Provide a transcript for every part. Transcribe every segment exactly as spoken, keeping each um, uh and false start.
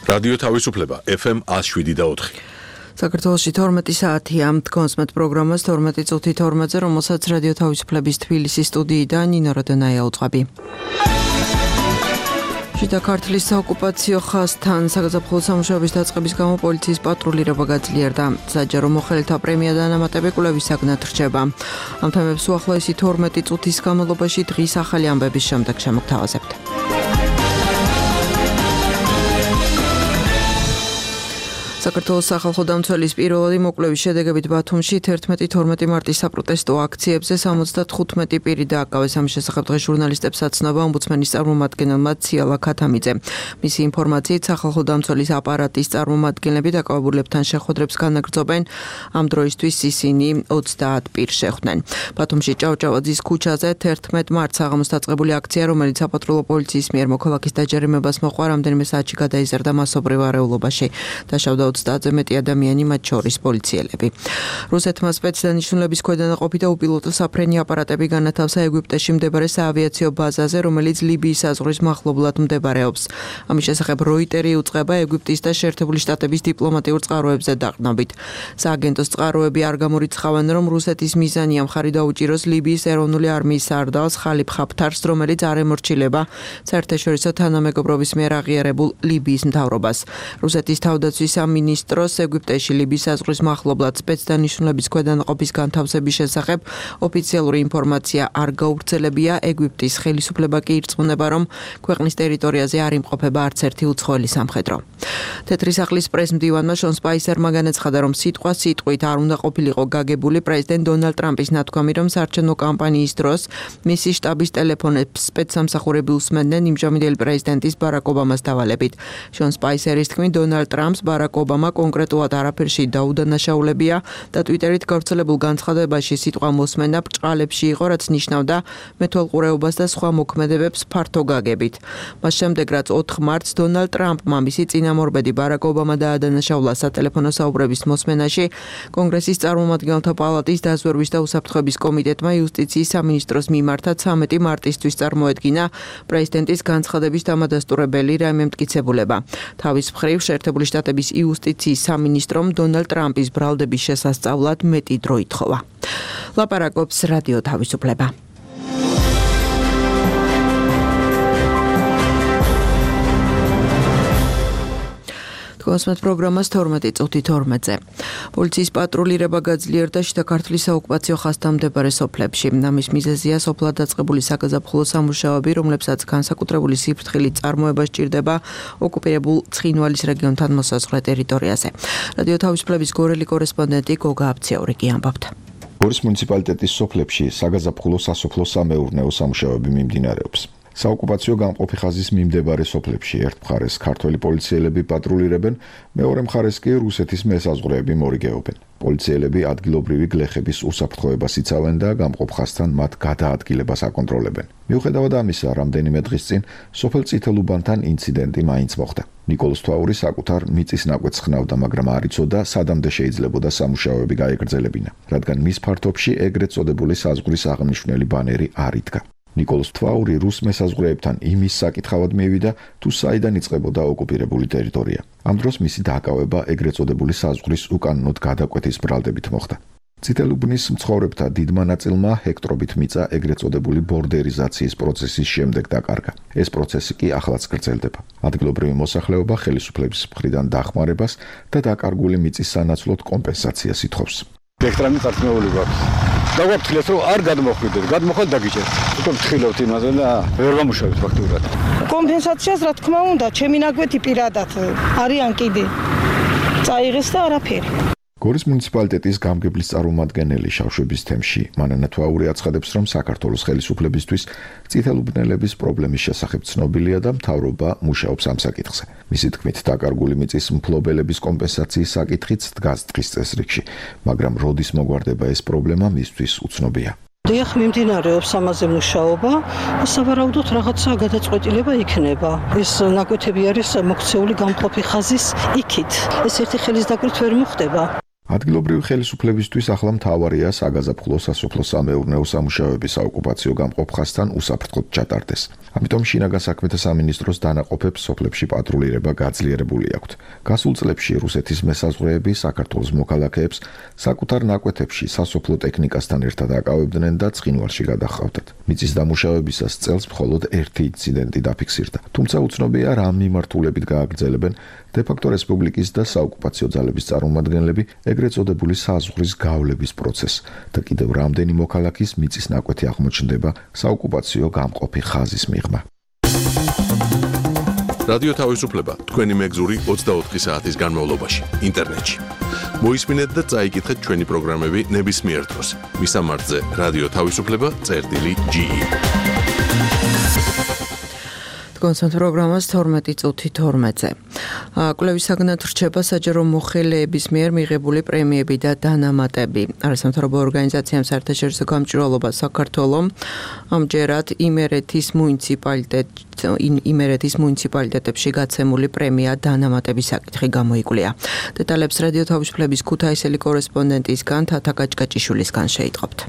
რადიო თავისუფლება ეფ ემ ათს შვიდი და ოთხი. საქართველოში თორმეტი საათია თქვენს მეტ პროგრამას თორმეტი წუთი თორმეტზე, რომელსაც რადიო თავისუფლების თბილისის სტუდიიდან ნინო როდონაია უწყობი. შიდა ქართლის საოკუპაციო ხაზთან საგაზაფხულო სამუშაოების დაწყების გამო პოლიციის პატრულირება გაძლიერდა. საჯარო მოხელეთა პრემია და ანამატები კვლევის საგნად რჩება. ამ თემებს უახლოესი თორმეტი წუთის განმავლობაში დღის ახალი ამბების შემდეგ შემოგთავაზებთ. საქართველოს სახალხო დამცველის პირველი მოკვლევის შედეგებით ბათუმში თერთმეტი თორმეტი მარტის საპროტესტო აქციებზე სამოცდათხუთმეტი პირი დააკავეს. ამის შესახებ დღეს ჟურნალისტებს აცნობა ომბუდსმენის წარმომადგენელმა ციალა ქათამიძე. მისი ინფორმაციით სახალხო დამცველის აპარატის წარმომადგენლები დაკავებულებთან შეხვედრებს განაგრძობენ. ამ დროისთვის ისინი ოცდაათ პირს შეხვდნენ. ბათუმში ჭავჭავაძის ქუჩაზე თერთმეტ მარტს საღამოს დაწყებული აქცია, რომელიც საპატრულო პოლიციის მიერ მოქალაქის დაჯერიმებას მოყვა, რამდენიმე საათში გადაიზარდა მასობრივ არეულობაში. დაშავდა ოცდაათზე მეტი ადამიანი, მათ შორის პოლიციელები. რუსეთმა სპეცდანიშნულების ქვედანაყოფი და უპილოტო საფრენი აპარატები განათავსა ეგვიპტეში მდებარე საავიაციო ბაზაზე, რომელიც ლიბიის საზღვრის მახლობლად მდებარეობს. ამის შესახებ როიტერი უწყება ეგვიპტის და შეერთებული შტატების დიპლომატიურ წყაროებზე დაყრდნობით. სააგენტოს წყაროები არ გამორიცხავენ, რომ რუსეთის მიზანია მხარი დაუჭიროს ლიბიის ეროვნული არმიის სარდალს ხალიფ ხაფთარს, რომელიც არ ემორჩილება საერთაშორისო თანამეგობრობის მიერ აღიარებულ ლიბიის მთავრობას. რუსეთის თავდაცვის სამინისტროს ეგვიპტეში ლიბიის საზღვრის მახლობლად სპეცდანიშნულების ქვედანაყოფის განთავსების შესახებ ოფიციალური ინფორმაცია არ გაუვრცელებია. ეგვიპტის ხელისუფლება კი ირწმუნება, რომ ქვეყნის ტერიტორიაზე არ იმყოფება არც ერთი უცხოელი სამხედრო. თეთრი სახლის პრესმდივანმა შონ სპაისერმა განაცხადა, რომ სიტყვა სიტყვით არ უნდა ყოფილიყო გაგებული პრეზიდენტ დონალდ ტრამპის ნათქვამი, რომ საარჩევნო კამპანიის დროს მისი შტაბის ტელეფონებს სპეცსამსახურები უსმენდნენ იმჟამინდელი პრეზიდენტის ბარაკ ობამას დავალებით. შონ სპაისერის თქმით, დონალდ ტრამპს ბარაკ ობამა კონკრეტულად არაფერში დაუდანაშაულებია და ტვიტერით გავრცელებულ განცხადებაში სიტყვა მოსმენა ბრჭყალებში იყო, რაც ნიშნავდა მეთვალყურეობას და სხვა მოქმედებებს ფართო გაგებით. მას შემდეგ, რაც ოთხ მარტს დონალდ ტრამპმა მისი წინამორბედი ბარაკ ობამა დაადანაშაულა სატელეფონო საუბრების მოსმენაში, კონგრესის წარმომადგენელთა პალატის დაზვერვის და უსაფრთხოების კომიტეტმა იუსტიციის სამინისტროს მიმართა ცამეტი მარტისთვის წარმოედგინა პრეზიდენტის განცხადების დამადასტურებელი რაიმე მტკიცებულება. თავის მხრივ შეერთებული შტატების იუსტიციის სამინისტრომ დონალდ ტრამპის ბრალდების შესასწავლად მეტი დრო ითხოვა. ლაპარაკობს რადიო თავისუფლება. კონსმეთ პროგრამას თორმეტი წუთი თორმეტზე. პოლიციის პატრულირება გაძლიერდა შიდა ქართლის საოკუპაციო ხაზთან მდებარე სოფლებში. ამის მიზეზია სოფლად დაწყებული საგაზაფხულო სამუშაოები, რომლებსაც განსაკუთრებული სიფრთხილით წარმოება სჭირდება ოკუპირებულ ცხინვალის რეგიონთან მოსაზღვრე ტერიტორიაზე. რადიო თავისუფლების გორელი კორესპონდენტი გოგა აბციური კი ამბობთ. გორის მუნიციპალიტეტის სოფლებში საგაზაფხულო სასოფლო-სამეურნეო სამუშაოები მიმდინარეობს. საოკუპაციო გამყოფი ხაზის მიმდებარე სოფლებში ერთ მხარეს ქართველი პოლიციელები პატრულირებენ, მეორე მხარეს კი რუსეთის მესაზღვრეები მორიგეობენ. პოლიციელები ადგილობრივი გლეხების უსაფრთხოებას იცავენ და გამყოფ ხაზთან მათ გადაადგილებას აკონტროლებენ. მიუხედავად ამისა, რამდენიმე დღის წინ სოფელ წითელუბანთან ინციდენტი მაინც მოხდა. ნიკოლოზ თვაური საკუთარ მიწის ნაკვეთს ხნავდა, მაგრამ არ იცოდა სადამდე შეიძლებოდა სამუშაოები გაეგრძელებინა, რადგან მის ფართობში ეგრეთ წოდებული საზღვრის აღნიშნული ბანერი არ იდგა. ნიკოლოზ თვაური რუს მესაზღვრეებთან იმის საკითხავად მივიდა, თუ საიდან იწყებოდა ოკუპირებული ტერიტორია. ამ დროს მისი დაკავება ეგრეთ წოდებული საზღვრის უკანონოდ გადაკვეთის ბრალდებით მოხდა. წითელუბნის მცხოვრებთა დიდმა ნაწილმა ჰექტრობით მიწა ეგრეთ წოდებული ბორდერიზაციის პროცესის შემდეგ დაკარგა. ეს პროცესი კი ახლაც გრძელდება. ადგილობრივი მოსახლეობა ხელისუფლების მხრიდან დახმარებას და დაკარგული მიწის სანაცვლოდ კომპენსაციას ითხოვს. ჰექტრამი წარქმეული გვაქვს. დაგვაფრთხილეთ, რომ არ გადმოხვიდეთ, გადმოხვდეთ დაგიჭერთ. უკვე ვთხილობთ იმაზე და ვერ გამუშავებთ ფაქტურად. კომპენსაციას რა თქმა უნდა, ჩემი ნაკვეთი პირადად არიან კიდე. წაიღეს და არაფერი. გორის მუნიციპალიტეტის გამგებლის წარმომადგენელი შავშების თემში მანანა თვაური აცხადებს, რომ საქართველოს ხელისუფლებისთვის წითელუბნელების პრობლემის შესახებ ცნობილია და მთავრობა მუშაობს ამ საკითხზე. მისი თქმით, დაკარგული მიწის მფლობელების კომპენსაციის საკითხიც დგას დღის წესრიგში, მაგრამ როდის მოგვარდება ეს პრობლემა მისთვის უცნობია. დიახ, მიმდინარეობს ამაზე მუშაობა, სავარაუდოდ რაღაცა გადაწყვეტილება იქნება. ეს ნაკვეთები არის მოქცეული გამყოფი ხაზის იქით. ეს ერთი ხელის დაკვირთ ვერ მოხდება. ადგილობრივი ხელისუფლებისთვის ახლა მთავარია საგაზაფხულო სასოფლო-სამეურნეო სამუშაოების საოკუპაციო გამყოფ ხაზთან უსაფრთხოდ ჩატარდეს. ამიტომ შინაგან საქმეთა სამინისტროს დანაყოფებს სოფლებში პატრულირება გაძლიერებული აქვთ. გასულ წლებში რუსეთის მესაზღვრეები საქართველოს მოქალაქეებს საკუთარ ნაკვეთებში სასოფლო ტექნიკასთან ერთად აკავებდნენ და ცხინვალში გადაჰყავდათ. მიწის დამუშავებისას წელს მხოლოდ ერთი ინციდენტი დაფიქსირდა. თუმცა უცნობია რა მიმართულებით გააგრძელებენ დე-ფაქტო რესპუბლიკის და საოკუპაციო ძალების წარმომადგენლები ეგრეთ წოდებული საზღვრის გავლების პროცესს და კიდევ რამდენი მოქალაქის მიწის ნაკვეთი აღმოჩნდება საოკუპაციო გამყოფი ხაზის მიღმა. რადიო თავისუფლება თქვენი მეგზური ოცდაოთხი საათის განმავლობაში ინტერნეტში. მოისმინეთ და წაიკითხეთ ჩვენი პროგრამები ნებისმიერ დროს. მისამართზე რადიო თავისუფლება წერტილი ჯი ი. კონსერტ პროგრამას თორმეტი წუთი თორმეტზე. კვლევის საგნად რჩება საჯარო მოხელეების მიერ მიღებული პრემიები და დანამატები. არასამთავრობო ორგანიზაციამ საერთაშორისო გამჭვირვალობა საქართველოს ამჯერად იმერეთის მუნიციპალიტეტ იმერეთის მუნიციპალიტეტებში გაცემული პრემია დანამატების საკითხი გამოიკვლია. დეტალებს რადიო თავისუფლების ქუთაისელი კორესპონდენტისგან თათა გაჭკაჭიშვილისგან შეიტყობთ.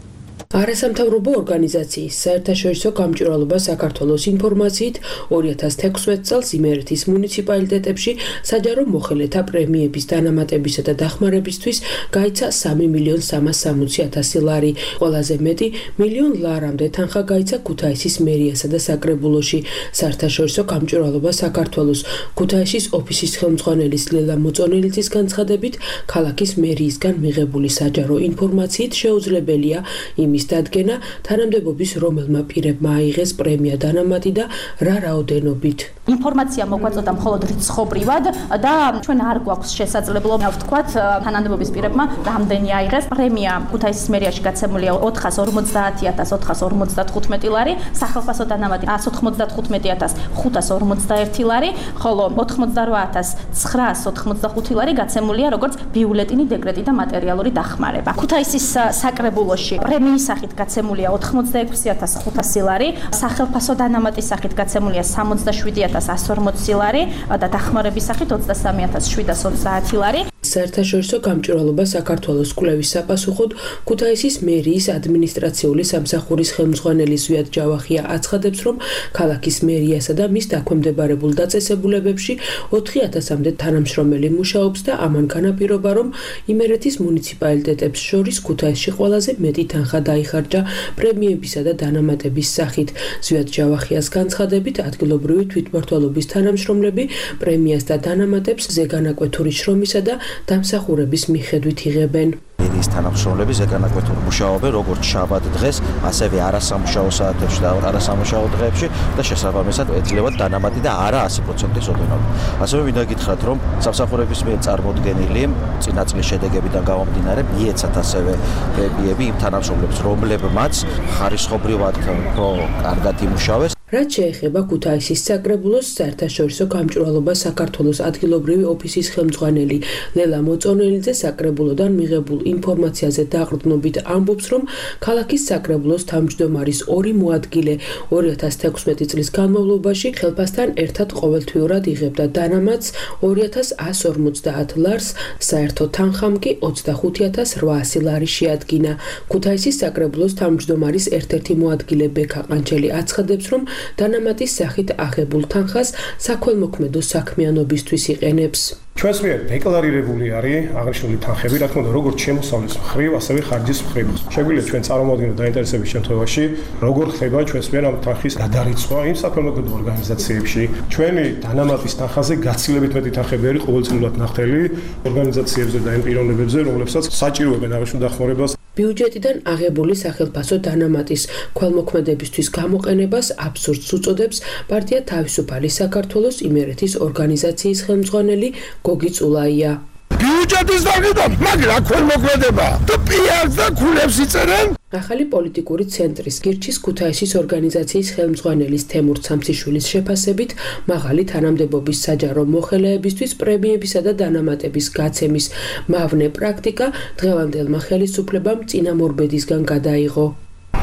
არასამთავრობო ორგანიზაციის საერთაშორისო გამჭვირვალობა საქართველოს ინფორმაციით ორი ათას თექვსმეტ წელს იმერეთის მუნიციპალიტეტებში საჯარო მოხელეთა პრემიების დანამატებისა და დახმარებისთვის გაიცა სამი მილიონი სამას სამოცი ათასი ლარი. ყველაზე მეტი მილიონ ლარამდე თანხა გაიცა ქუთაისის მერიასა და საკრებულოში. საერთაშორისო გამჭვირვალობა საქართველოს ქუთაისის ოფისის ხელმძღვანელის ლელა მოწონელიძის განცხადებით, ქალაქის მერიისგან მიღებული საჯარო ინფორმაციით შეუძლებელია იმის დადგენა თანამდებობის რომელმა პირებმა აიღეს პრემია დანამატი და რა რაოდენობით. ინფორმაცია მოგვაწოდა მხოლოდ რიცხობრივად და ჩვენ არ გვაქვს შესაძლებლობა ვთქვათ თანამდებობის პირებმა რამდენი აიღეს. პრემია ქუთაისის მერიაში გაცემულია ოთხას ორმოცდაათი ათას ოთხას ორმოცდათხუთმეტი ლარი, სახალხო დანამატი ას ოთხმოცდათხუთმეტი ათას ხუთას ორმოცდაერთი ლარი, ხოლო ოთხმოცდარვა ათას ცხრაას ოთხმოცდახუთი ლარი გაცემულია როგორც ბიულეტინი, დეკრეტი და მატერიალური დახმარება. ქუთაისის საკრებულოში პრემიის სახით გაცემულია ოთხმოცდაექვსი ათას ხუთასი ლარი, სახალხო დანამატის სახით გაცემულია სამოცდაშვიდი ათას ას ორმოცი ლარი და დახმარების სახით ოცდასამი ათას შვიდას ოცდაათი ლარი. საერთაშორისო გამჭვირვალობა საქართველოს კვლევის საპასუხოდ ქუთაისის მერიის ადმინისტრაციული სამსახურის ხელმძღვანელი ზვიად ჯავახია აცხადებს, რომ ქალაქის მერიასა და მის დაქვემდებარებულ დაწესებულებებში ოთხი ათასამდე თანამშრომელი მუშაობს და ამან განაპირობა, რომ იმერეთის მუნიციპალიტეტებს შორის ქუთაისში ყველაზე მეტი თანხა დაიხარჯა პრემიებისა და დანამატების სახით. ზვიად ჯავახიას განცხადებით, ადგილობრივი თვითმმართველობის თანამშრომლები პრემიას და დანამატებს ზეგანაკვეთური შრომისა და დამსახურების მიხედვით იღებენ. მერიის თანამშრომლები ზეგანაკვეთურ მუშაობენ როგორც შაბათ დღეს, ასევე არასამუშაო საათებში და არასამუშაო დღეებში და შესაბამისად ეძლევათ დანამატი და არა ასი პროცენტის ოდენობა. ასევე მინდა გითხრათ, რომ სამსახურების მიერ წარმოდგენილი წინა წლის შედეგებიდან გამომდინარე მიეცათ ასევე პრემიები იმ თანამშრომლებს, რომლებმაც ხარისხობრივად უფრო კარგად იმუშავეს. რაც შეეხება ქუთაისის საკრებულოს საერთაშორისო გამჭვირვალობა საქართველოს ადგილობრივი ოფისის ხელმძღვანელი ლელა მოწონელიძე საკრებულოდან მიღებულ ინფორმაციაზე დაყრდნობით ამბობს, რომ ქალაქის საკრებულოს თავმჯდომარის ორი მოადგილე ორი ათას თექვსმეტი წლის განმავლობაში ხელფასთან ერთად ყოველთვიურად იღებდა დანამატს ორი ათას ას ორმოცდაათ ლარს, საერთო თანხამ კი ოცდახუთი ათას რვაასი ლარი შეადგინა. ქუთაისის საკრებულოს თავმჯდომარის ერთ-ერთი მოადგილე ბექა ყანჩელი აცხადებს, რომ დანამატის სახით აღებულ თანხას საქველმოქმედო საქმიანობისთვის იყენებს. ჩვენს მიერ დეკლარირებული არის აღნიშნული თანხები, რა თქმა უნდა, როგორც შემოსავლის მხრივ, ასევე ხარჯის მხრივ. შეგვიძლია ჩვენ წარმოვადგინოთ დაინტერესების შემთხვევაში, როგორ ხდება ჩვენს მიერ ამ თანხის გადარიცხვა იმ საქველმოქმედო ორგანიზაციებში. ჩვენი დანამატის თანხაზე გაცილებით მეტი თანხები არის ყოველწლიურად ნახდელი ორგანიზაციებზე და იმ პიროვნებებზე, რომლებსაც საჭიროებენ აღნიშნულ დახმარებას. ბიუჯეტიდან აღებული სახელფასო დანამატის ქველმოქმედებისთვის გამოყენებას აბსურდს უწოდებს პარტია თავისუფალი საქართველოს იმერეთის ორგანიზაციის ხელმძღვანელი გოგი წულაია. ბიუჯეტის დაგიდო, მაგრამ ქველმოქმედება და პიარს და ქულებს იწერენ. ახალი პოლიტიკური ცენტრის გირჩის ქუთაისის ორგანიზაციის ხელმძღვანელის თემურ ცამციშვილის შეფასებით, მაღალი თანამდებობის საჯარო მოხელეებისთვის პრემიებისა და დანამატების გაცემის მავნე პრაქტიკა დღევანდელმა ხელისუფლებამ წინამორბედისგან გადაიღო.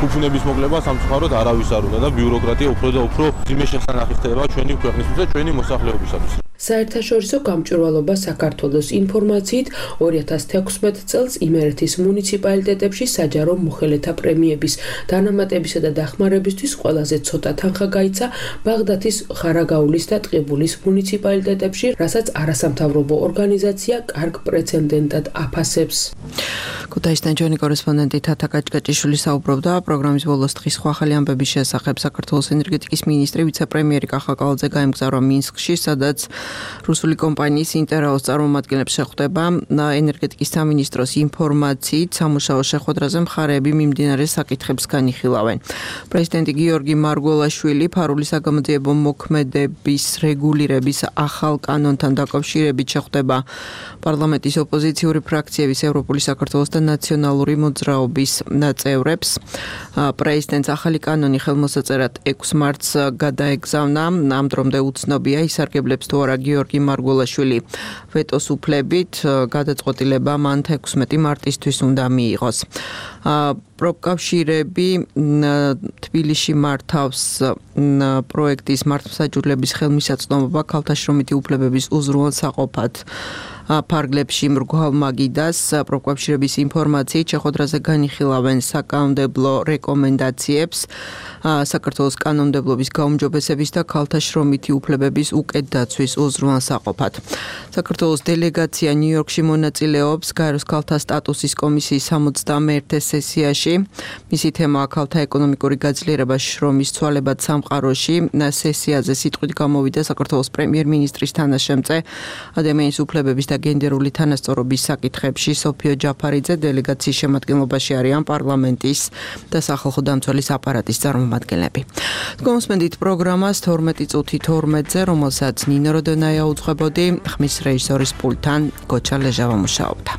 უფლების მოკლება სამწუხაროდ არავის არ უნდა და ბიუროკრატია უფრო და უფრო ძიმე შესანახი ხდება ჩვენი ქვეყნისთვის და ჩვენი მოსახლეობისათვის. საერთაშორისო გამჭვირვალობა საქართველოს ინფორმაციით ორი ათას თექვსმეტ წელს იმერეთის მუნიციპალიტეტებში საჯარო მოხელეთა პრემიების დანამატებისა და დახმარებისთვის ყველაზე ცოტა თანხა გაიცა ბაღდათის, ხარაგაულის და ტყიბულის მუნიციპალიტეტებში, რასაც არასამთავრობო ორგანიზაცია კარგ პრეცედენტად აფასებს. ქუთაისიდან ჩვენი კორესპონდენტი თათა კაჭკაჭიშვილი საუბრობდა პროგრამის ბოლოს დღის სხვა ახალი ამბების შესახებ. საქართველოს ენერგეტიკის მინისტრი ვიცე-პრემიერი კახა კალაძე გაემგზავრა მინსკში, სადაც რუსული კომპანიის ინტერაოს წარმომადგენლებს შეხვდება. ენერგეტიკის სამინისტროს ინფორმაციით სამუშაო შეხვედრაზე მხარეები მიმდინარე საკითხებს განიხილავენ. პრეზიდენტი გიორგი მარგველაშვილი ფარული საგამოძიებო მოქმედების რეგულირების ახალ კანონთან დაკავშირებით შეხვდება პარლამენტის ოპოზიციური ფრაქციების ევროპული საქართველოს და ნაციონალური მოძრაობის წევრებს. პრეზიდენტს ახალი კანონი ხელმოსაწერად ექვს მარტს გადაეგზავნა. ამ დრომდე უცნობია ისარგებლებს თუ არა გიორგი მარგველაშვილი ვეტოს უფლებით. გადაწყვეტილება მან თექვსმეტი მარტისთვის უნდა მიიღოს. პროფკავშირები თბილისში მართავს პროექტის მართლმსაჯულების ხელმისაწვდომობა ქალთა შრომითი უფლებების უზრუნველსაყოფად ფარგლებში მრგვალ მაგიდას. პროფკავშირების ინფორმაციით შეხვედრაზე განიხილავენ საკანონმდებლო რეკომენდაციებს საქართველოს კანონმდებლობის გაუმჯობესების და ქალთა შრომითი უფლებების უკეთ დაცვის უზრუნველსაყოფად. საქართველოს დელეგაცია ნიუ-იორკში მონაწილეობს გაეროს ქალთა სტატუსის კომისიის სამოცდამეერთე სესიაში. მისი თემაა ქალთა ეკონომიკური გაძლიერება შრომის ცვალებად სამყაროში. სესიაზე სიტყვით გამოვიდა საქართველოს პრემიერ-მინისტრის თანაშემწე ადამიანის უფლებების და გენდერული თანასწორობის საკითხებში სოფიო ჯაფარიძე. დელეგაციის შემადგენლობაში არიან პარლამენტის და სახალხო დამცველის აპარატის წარმომადგენლები. გონსმენდით პროგრამას თორმეტი წუთი თორმეტზე, რომელსაც ნინო როდონაია უძღვებოდი, ხმის რეჟისორის პულტთან გოჩა ლეჟავა მუშაობდა.